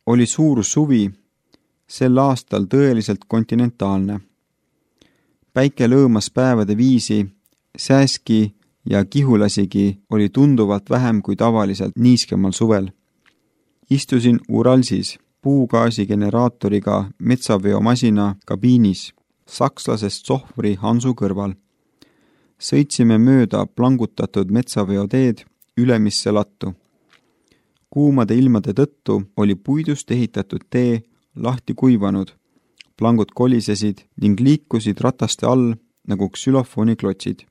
Oli suur suvi, sel aastal tõeliselt kontinentaalne. Päike lõõmas päevade viisi, sääski ja kihulasigi oli tunduvalt vähem kui tavaliselt niiskemal suvel. Istusin Uralsis puugaasigeneraatoriga metsaveomasina kabiinis, sakslasest sohvri Hansu kõrval. Sõitsime mööda plangutatud metsaveoteed Ülemisse lattu. Kuumade ilmade tõttu oli puidust ehitatud tee lahti kuivanud, plangud kolisesid ning liikusid rataste all nagu ksülofooniklotsid.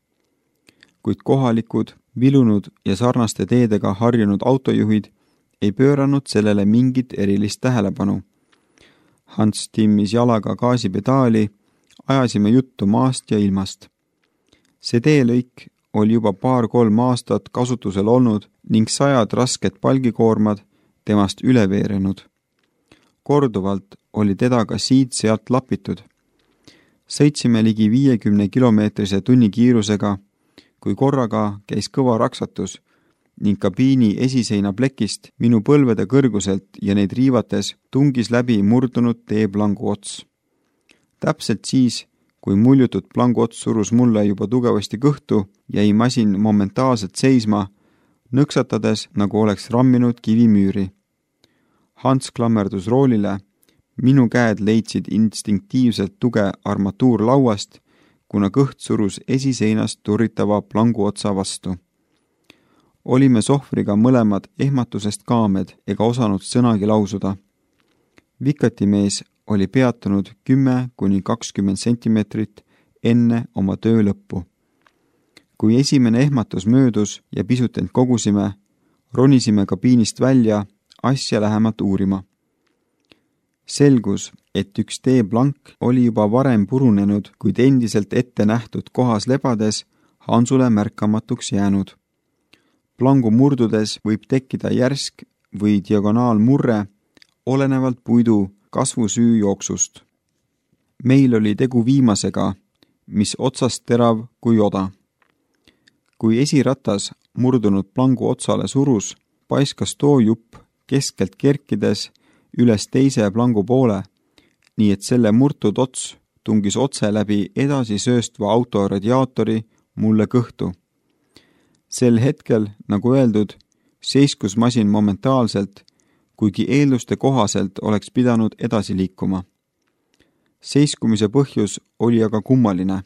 Kuid kohalikud, vilunud ja sarnaste teedega harjunud autojuhid ei pööranud sellele mingit erilist tähelepanu. Hans timmis jalaga gaasipedaali, ajasime juttu maast ja ilmast. See teelõik oli juba 2-3 aastat kasutusel olnud ning 100 rasked palgikoormad temast üle veerenud. Korduvalt oli teda ka siit-sealt lapitud. Sõitsime ligi 50 kilomeetrise tunnikiirusega, kui korraga käis kõva raksatus ning kabiini esiseina plekist minu põlvede kõrguselt ja neid riivates tungis läbi murdunud teeplangu ots. Täpselt siis, kui muljutud plangu ots surus mulle juba tugevasti kõhtu, jäi masin momentaalselt seisma, nõksatades, nagu oleks ramminud kivimüüri. Hans klammerdus roolile, minu käed leidsid instinktiivselt tuge armatuurlauast, kuna kõht surus esiseinast turritava plangu otsa vastu. Olime sohvriga mõlemad ehmatusest kaamed ega osanud sõnagi lausuda. Vikatimees oli peatunud 10-20 sentimeetrit enne oma töö lõppu. Kui esimene ehmatus möödus ja pisut end kogusime, ronisime kabiinist välja asja lähemalt uurima. Selgus, et üks teeplank oli juba varem purunenud, kuid endiselt ette nähtud kohas lebades Hansule märkamatuks jäänud. Plangu murdudes võib tekkida järsk või diagonaalmurre, olenevalt puidu kasvusüü jooksust. Meil oli tegu viimasega, mis otsast terav kui oda. Kui esiratas murdunud plangu otsale surus, paiskas too jupp keskelt kerkides üles teise plangu poole, nii et selle murtud ots tungis otse läbi edasi sööstva auto radiaatori mulle kõhtu. Sel hetkel, nagu öeldud, seiskus masin momentaalselt, kuigi eelduste kohaselt oleks pidanud edasi liikuma. Seiskumise põhjus oli aga kummaline.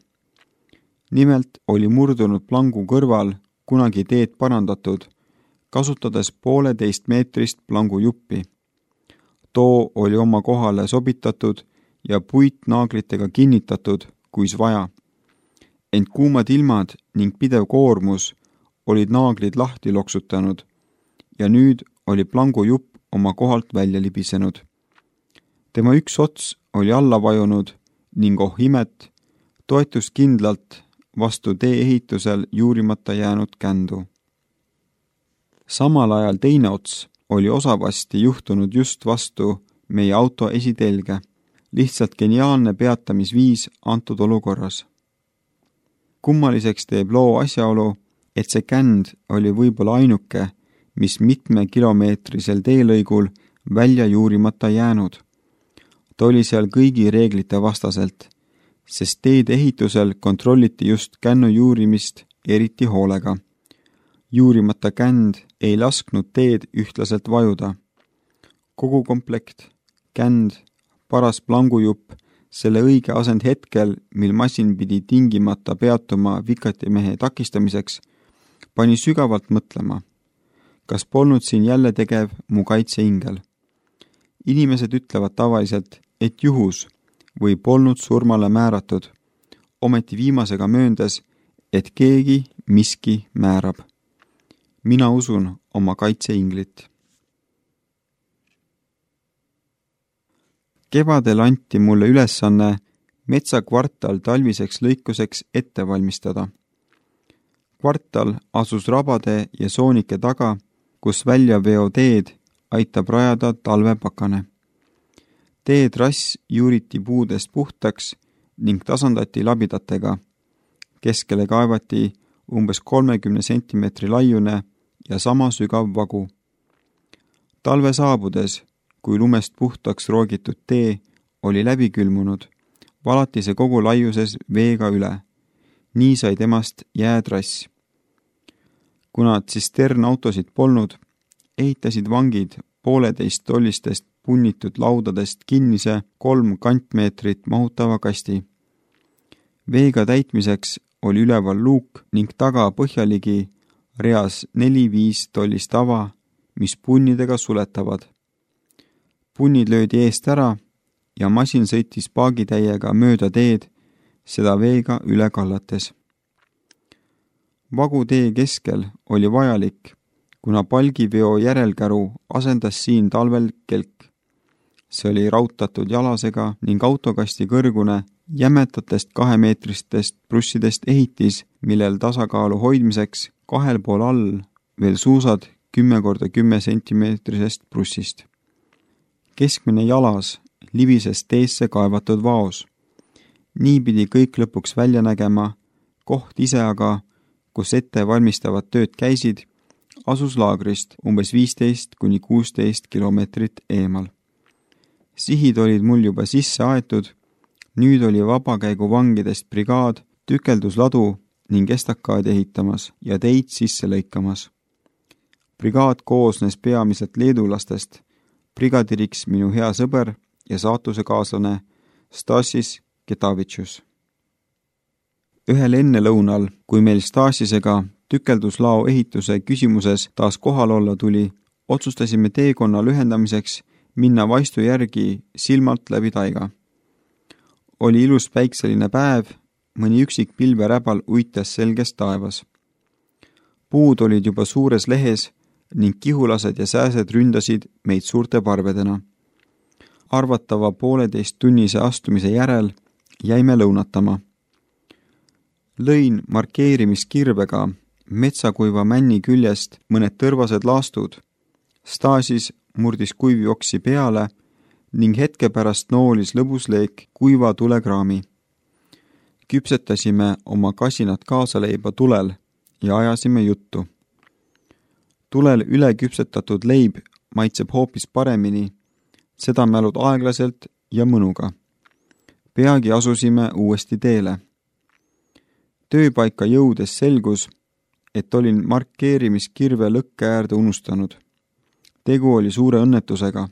Nimelt oli murdunud plangu kõrval kunagi teed parandatud, kasutades 1,5 meetrist plangu juppi. Too oli oma kohale sobitatud ja puitnaaglitega kinnitatud, kuis vaja. Ent kuumad ilmad ning pidev koormus olid naaglid lahti loksutanud ja nüüd oli plangu jupp oma kohalt välja libisenud. Tema üks ots oli alla vajunud ning imet, toetus kindlalt vastu tee-ehitusel juurimata jäänud kändu. Samal ajal teine ots oli osavasti juhtunud just vastu meie auto esitelge, lihtsalt geniaalne peatamisviis antud olukorras. Kummaliseks teeb loo asjaolu, et see känd oli võib-olla ainuke, mis mitmekilomeetrisel teelõigul välja juurimata jäänud. Ta oli seal kõigi reeglite vastaselt, sest teede ehitusel kontrolliti just kännu juurimist eriti hoolega. Juurimata känd ei lasknud teed ühtlaselt vajuda. Kogu komplekt, känd, paras plangujupp, selle õige asend hetkel, mil masin pidi tingimata peatuma vikatimehe takistamiseks, pani sügavalt mõtlema. Kas polnud siin jälle tegev mu kaitseingel? Inimesed ütlevad tavaliselt, et juhus või polnud surmale määratud, ometi viimasega mööndes, et keegi miski määrab. Mina usun oma kaitseinglit. Kevadel anti mulle ülesanne metsakvartal talviseks lõikuseks ette valmistada. Kvartal asus rabade ja soonike taga, kus väljaveoteed aitab rajada talvepakane. Teetrass juuriti puudest puhtaks ning tasandati labidatega. Keskele kaevati umbes 30 sentimeetri laiune ja sama sügav vagu. Talve saabudes, kui lumest puhtaks roogitud tee oli läbi külmunud, valati see kogu laiuses veega üle. Nii sai temast jäätrass. Kuna tsisternautosid polnud, ehitasid vangid 1,5 tollistest punnitud laudadest kinnise 3 kantmeetrit mahutava kasti. Veega täitmiseks oli üleval luuk ning taga põhjaligi reas 4-5 tollist ava, mis punnidega suletavad. Punnid löödi eest ära ja masin sõitis paagitäiega mööda teed, seda veega üle kallates. Vagutee keskel oli vajalik, kuna palgiveo järelkäru asendas siin talvel kelk. See oli rautatud jalasega ning autokasti kõrgune jämetatest 2-meetristest prussidest ehitis, millel tasakaalu hoidmiseks 2 pool all veel suusad 10x10 sentimeetrisest prussist. Keskmine jalas libises teesse kaevatud vaos. Nii pidi kõik lõpuks välja nägema, koht ise aga, kus ette valmistavad tööd käisid, asus laagrist umbes 15-16 kilomeetrit eemal. Sihid olid mul juba sisse aetud, nüüd oli vabakäigu vangidest brigaad tükeldusladu ning estakaadi ehitamas ja teid sisse lõikamas. Brigaad koosnes peamiselt leedulastest, brigadiriks minu hea sõber ja saatusekaaslane Stasis Ketavitšus. Ühel ennelõunal, kui meil Stasisega tükelduslao ehituse küsimuses taas kohal olla tuli, otsustasime teekonna lühendamiseks minna vaistu järgi silmalt läbi taiga. Oli ilus päikseline päev, mõni üksik pilveräbal uitas selges taevas. Puud olid juba suures lehes ning kihulased ja sääsed ründasid meid suurte parvedena. Arvatava 1,5-tunnise astumise järel jäime lõunatama. Lõin markeerimiskirvega metsakuiva männi küljest mõned tõrvased laastud. Stasis murdis kuivjoksi peale ning hetke pärast noolis lõbusleek kuiva tulekraami. Küpsetasime oma kasinat kaasaleiba tulel ja ajasime juttu. Tulel üle küpsetatud leib maitseb hoopis paremini, seda mälud aeglaselt ja mõnuga. Peagi asusime uuesti teele. Tööpaika jõudes selgus, et olin markeerimiskirve lõkke äärde unustanud. Tegu oli suure õnnetusega.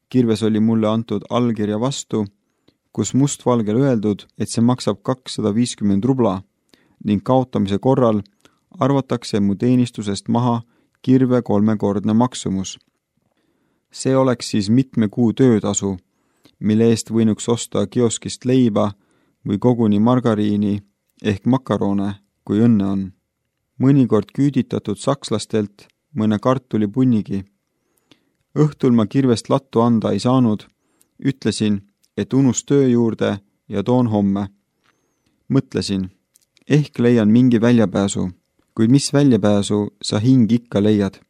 Kirves oli mulle antud allkirja vastu, kus mustvalgel öeldud, et see maksab 250 rubla ning kaotamise korral arvatakse mu teenistusest maha kirve 3-kordne maksumus. See oleks siis mitme kuu töötasu, mille eest võinuks osta kioskist leiba või koguni margariini ehk makarone, kui õnne on. Mõnikord küüditatud sakslastelt mõne kartulipunnigi. Õhtul ma kirvest lattu anda ei saanud, ütlesin, et unus töö juurde ja toon homme. Mõtlesin, ehk leian mingi väljapääsu, kuid mis väljapääsu sa hing ikka leiad.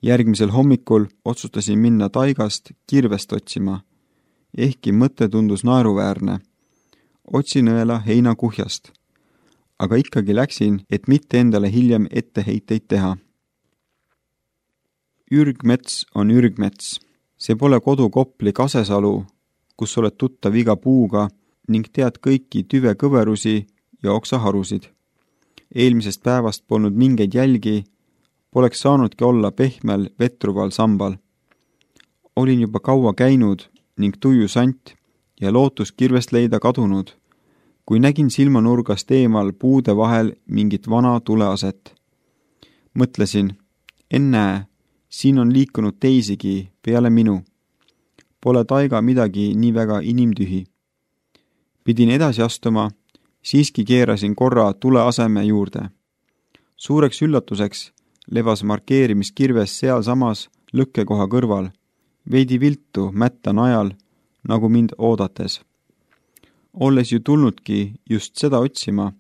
Järgmisel hommikul otsustasin minna taigast kirvest otsima, ehkki mõte tundus naeruväärne. Otsin õela heinakuhjast, aga ikkagi läksin, et mitte endale hiljem etteheiteid teha. Ürgmets on ürgmets. See pole kodu Kopli Kasesalu, kus oled tuttav iga puuga ning tead kõiki tüvekõverusi ja oksaharusid. Eelmisest päevast polnud mingeid jälgi, poleks saanudki olla pehmel vetruval sambal. Olin juba kaua käinud ning tuju sant ja lootus kirvest leida kadunud, kui nägin silmanurgast eemal puude vahel mingit vana tuleaset. Mõtlesin, ennäe, siin on liikunud teisigi peale minu. Pole taiga midagi nii väga inimtühi. Pidin edasi astuma, siiski keerasin korra tuleaseme juurde. Suureks üllatuseks levas markeerimiskirves sealsamas lõkkekoha kõrval, veidi viltu mätta najal, nagu mind oodates. Olles ju tulnudki just seda otsima,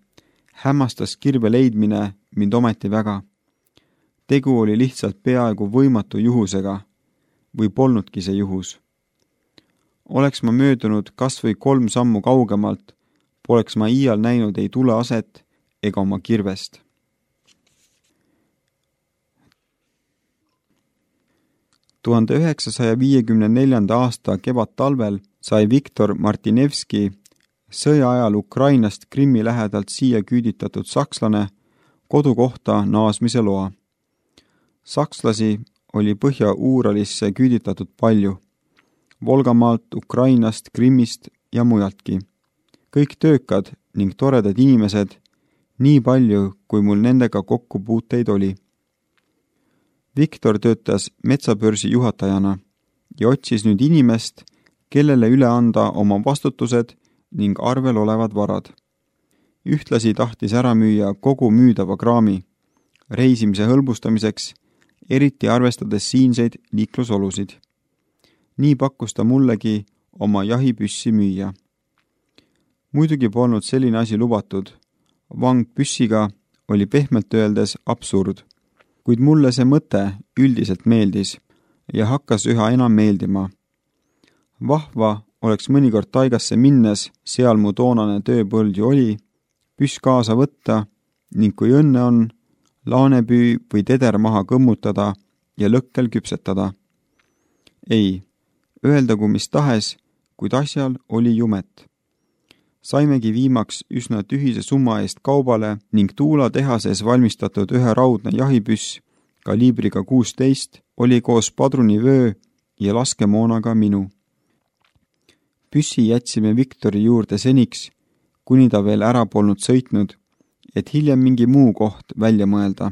hämmastas kirve leidmine mind ometi väga. Tegu oli lihtsalt peaaegu võimatu juhusega või polnudki see juhus. Oleks ma möödunud kas või 3 sammu kaugemalt, poleks ma iial näinud ei tuleaset ega oma kirvest. 1954. aasta kevadtalvel sai Viktor Martinevski, sõja ajal Ukrainast Krimmi lähedalt siia küüditatud sakslane, kodukohta naasmise loa. Sakslasi oli Põhja-Uuralisse küüditatud palju, Volgamaalt, Ukrainast, Krimmist ja mujaltki. Kõik töökad ning toredad inimesed, nii palju, kui mul nendega kokkupuuteid oli. Viktor töötas metsabörsi juhatajana ja otsis nüüd inimest, kellele üle anda oma vastutused ning arvel olevad varad. Ühtlasi tahtis ära müüa kogu müüdava kraami, reisimise hõlbustamiseks, eriti arvestades siinseid liiklusolusid. Nii pakkus ta mullegi oma jahipüssi müüa. Muidugi polnud selline asi lubatud. Vang püssiga oli pehmelt öeldes absurd, kuid mulle see mõte üldiselt meeldis ja hakkas üha enam meeldima. Vahva oleks mõnikord taigasse minnes, seal mu toonane tööpõld ju oli, püss kaasa võtta ning kui õnne on, laanepüü või teder maha kõmmutada ja lõkkel küpsetada. Ei, öeldagu mis tahes, kuid asjal oli jumet. Saimegi viimaks üsna tühise summa eest kaubale ning Tuula tehases valmistatud ühe raudne jahipüss kaliibriga 16 oli koos padrunivöö ja laskemoonaga minu. Püssi jätsime Viktori juurde seniks, kuni ta veel ära polnud sõitnud, et hiljem mingi muu koht välja mõelda.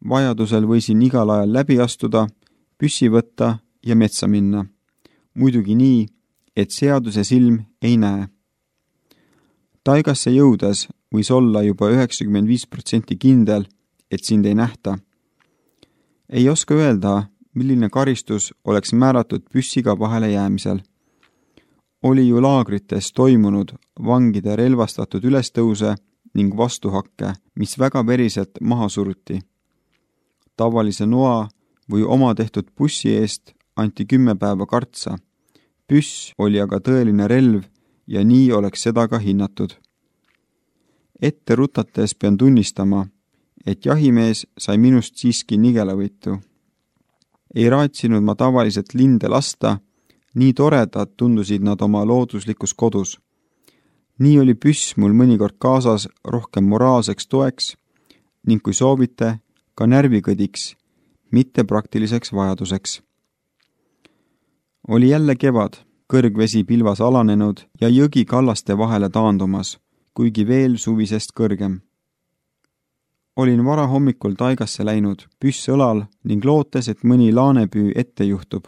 Vajadusel võisin igal ajal läbi astuda, püssi võtta ja metsa minna. Muidugi nii, et seaduse silm ei näe. Taigasse jõudes võis olla juba 95% kindel, et sind ei nähta. Ei oska öelda, milline karistus oleks määratud püssiga vahele jäämisel. Oli ju laagrites toimunud vangide relvastatud ülestõuse ning vastuhakke, mis väga veriselt maha suruti. Tavalise noa või oma tehtud bussi eest anti 10 päeva kartsa. Püss oli aga tõeline relv ja nii oleks seda ka hinnatud. Ette rutates pean tunnistama, et jahimees sai minust siiski nigelavõitu. Ei raatsinud ma tavaliselt linde lasta, nii toredad tundusid nad oma looduslikus kodus. Nii oli püss mul mõnikord kaasas rohkem moraalseks toeks ning kui soovite, ka närvikõdiks, mitte praktiliseks vajaduseks. Oli jälle kevad, kõrgvesi pilvas alanenud ja jõgi kallaste vahele taandumas, kuigi veel suvisest kõrgem. Olin vara hommikul taigasse läinud, püss õlal ning lootes, et mõni laanepüü ette juhtub.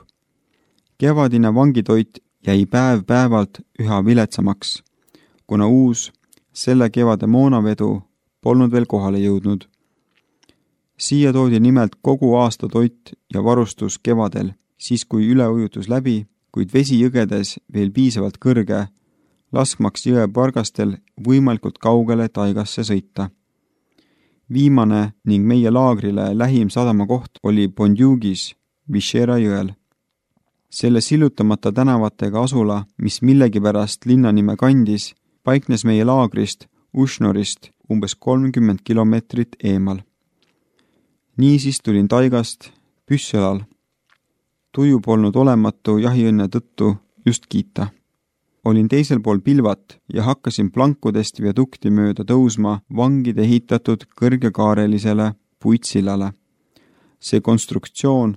Kevadine vangitoit jäi päev päevalt üha viletsamaks, kuna uus, selle kevade moonavedu polnud veel kohale jõudnud. Siia toodi nimelt kogu aasta toit ja varustus kevadel, siis kui üleujutus läbi, kuid vesi jõgedes veel piisavalt kõrge, laskmaks jõe pargastel võimalikult kaugele taigasse sõita. Viimane ning meie laagrile lähim sadamakoht oli Bondjugis, Vishera jõel. Selle sillutamata tänavatega asula, mis millegipärast linnanime kandis, paiknes meie laagrist, Ušnorist, umbes 30 kilomeetrit eemal. Niisiis tulin taigast püssõlal. Tuju polnud olematu jahiõnne tõttu just kiita. Olin teisel pool pilvat ja hakkasin plankudest viadukti mööda tõusma vangide ehitatud kõrgekaarelisele puitsillale. See konstruktsioon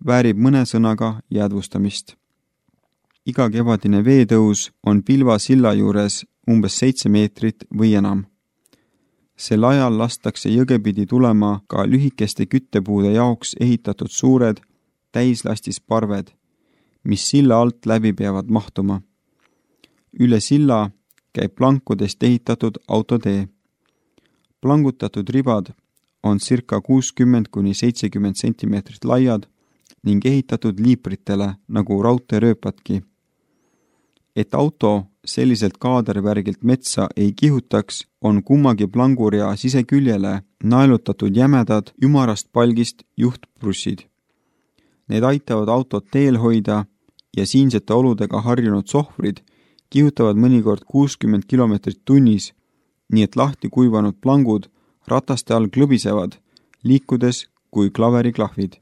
väärib mõne sõnaga jäädvustamist. Iga kevadine veetõus on pilva silla juures umbes 7 meetrit või enam. Sel ajal lastakse jõgepidi tulema ka lühikeste küttepuude jaoks ehitatud suured täislastis parved, mis silla alt läbi peavad mahtuma. Üle silla käib plankudest ehitatud autotee. Plangutatud ribad on circa 60–70 centimeetrit laiad ning ehitatud liipritele nagu raudteerööpadki. Et auto selliselt kaadervärgilt metsa ei kihutaks, on kummagi plangurea siseküljele naelutatud jämedad ümarast palgist juhtprussid. Need aitavad autot teel hoida ja siinsete oludega harjunud sohvrid kihutavad mõnikord 60 kilomeetrit tunnis, nii et lahti kuivanud plangud rataste all klõbisevad, liikudes kui klaveriklahvid.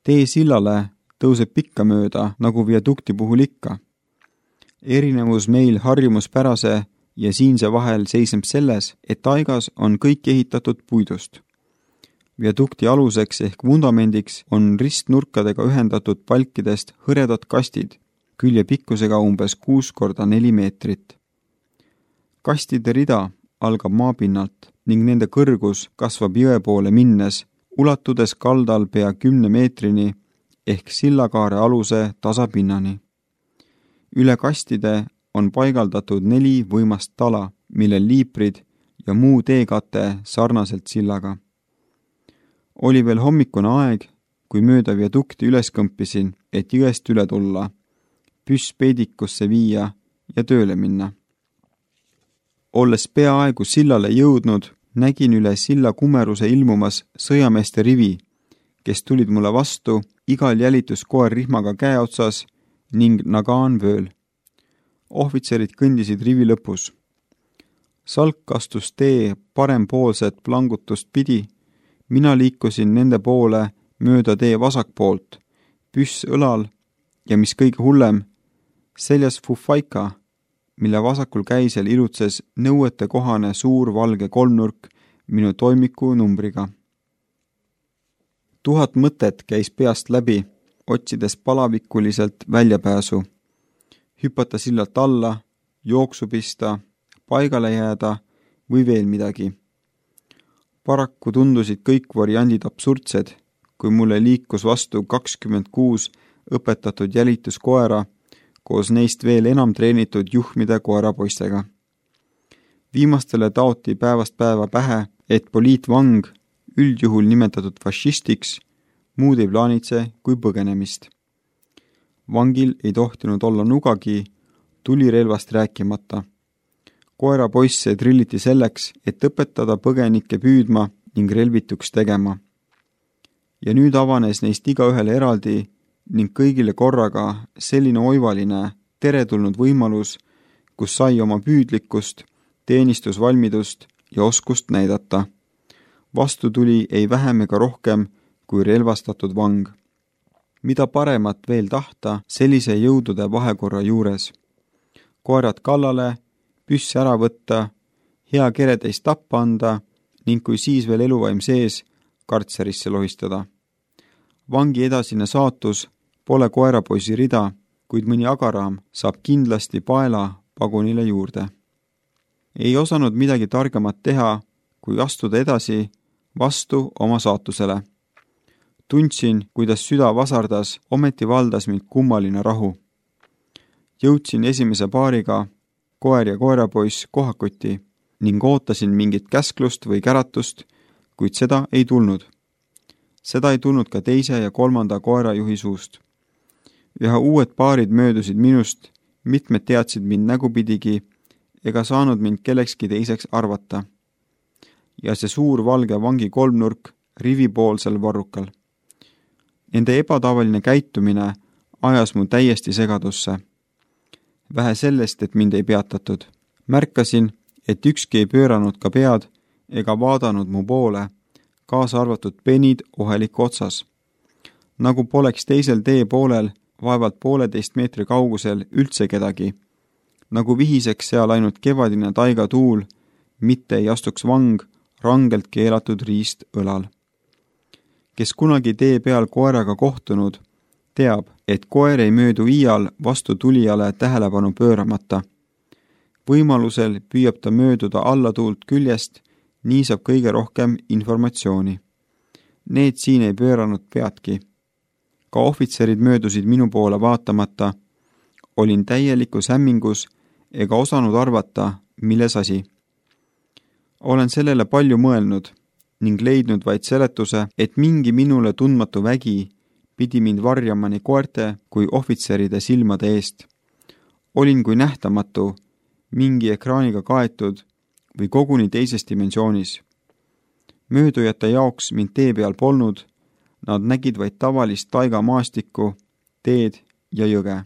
Tee sillale tõuseb pikka mööda, nagu viadukti puhul ikka. Erinevus meil harjumuspärase ja siinse vahel seisneb selles, et taigas on kõik ehitatud puidust. Viadukti aluseks ehk vundamendiks on ristnurkadega ühendatud palkidest hõredad kastid, külje pikkusega umbes 6x4 meetrit. Kastide rida algab maapinnalt ning nende kõrgus kasvab jõe poole minnes, ulatudes kaldal pea 10 meetrini ehk sillakaare aluse tasapinnani. Üle kastide on paigaldatud 4 võimast tala, millel liiprid ja muu teekate sarnaselt sillaga. Oli veel hommikune aeg, kui mööda viadukti üles kõmpisin, et jõest üle tulla, püss peidikusse viia ja tööle minna. Olles peaaegu sillale jõudnud, nägin üle silla kumeruse ilmumas sõjameeste rivi, kes tulid mulle vastu, igal jälituskoer rihmaga käe otsas ning nagaan vööl. Ohvitserid kõndisid rivi lõpus. Salk astus tee parempoolset plangutust pidi, mina liikusin nende poole mööda tee vasakpoolt, püss õlal ja mis kõige hullem, seljas fufaika, mille vasakul käisel ilutses nõuete kohane suur valge kolmnurk minu toimiku numbriga. 1000 mõtet käis peast läbi, otsides palavikuliselt väljapääsu. Hüpata sillalt alla, jooksu pista, paigale jääda või veel midagi. Paraku tundusid kõik variandid absurdsed, kui mulle liikus vastu 26 õpetatud jälituskoera koos neist veel enam treenitud juhmide koerapoistega. Viimastele taoti päevast päeva pähe, et poliitvang, üldjuhul nimetatud fašistiks, muud ei plaanitse kui põgenemist. Vangil ei tohtinud olla nugagi, tulirelvast rääkimata. Koerapoisse trilliti selleks, et õpetada põgenikke püüdma ning relvituks tegema. Ja nüüd avanes neist igaühele eraldi ning kõigile korraga selline oivaline, teretulnud võimalus, kus sai oma püüdlikkust, teenistusvalmidust ja oskust näidata. Vastu tuli ei vähem ega rohkem kui relvastatud vang. Mida paremat veel tahta sellise jõudude vahekorra juures. Koerad kallale, püss ära võtta, hea kereteist tappa anda ning kui siis veel eluvaim sees, kartserisse lohistada. Vangi edasine saatus pole koerapoisi rida, kuid mõni agaraam saab kindlasti paela pagunile juurde. Ei osanud midagi targemat teha, kui astuda edasi vastu oma saatusele. Tundsin, kuidas süda vasardas, ometi valdas mind kummaline rahu. Jõudsin esimese paariga, koer ja koerapoiss kohakuti ning ootasin mingit käsklust või käratust, kuid seda ei tulnud. Seda ei tulnud ka teise ja kolmanda koerajuhi suust. Üha uued paarid möödusid minust, mitmed teadsid mind nägupidigi ega saanud mind kellekski teiseks arvata. Ja see suur valge vangi kolmnurk rivipoolsel varrukal. Nende ebatavaline käitumine ajas mu täiesti segadusse. Vähe sellest, et mind ei peatatud. Märkasin, et ükski ei pööranud ka pead ega vaadanud mu poole, kaasa arvatud penid oheliku otsas. Nagu poleks teisel tee poolel, vaevalt 1,5 meetri kaugusel üldse kedagi. Nagu vihiseks seal ainult kevadine taigatuul, mitte ei astuks vang rangelt keelatud riist õlal. Kes kunagi tee peal koeraga kohtunud, teab, et koer ei möödu iial vastu tulijale tähelepanu pööramata. Võimalusel püüab ta mööduda allatuult küljest, nii saab kõige rohkem informatsiooni. Need siin ei pööranud peadki. Ka ohvitserid möödusid minu poole vaatamata. Olin täielikus hämmingus ega osanud arvata, milles asi. Olen sellele palju mõelnud ning leidnud vaid seletuse, et mingi minule tundmatu vägi pidi mind varjama nii koerte kui ohvitseride silmade eest. Olin kui nähtamatu, mingi ekraaniga kaetud või koguni teises dimensioonis. Möödujate jaoks mind tee peal polnud, nad nägid vaid tavalist taigamaastikku, teed ja jõge.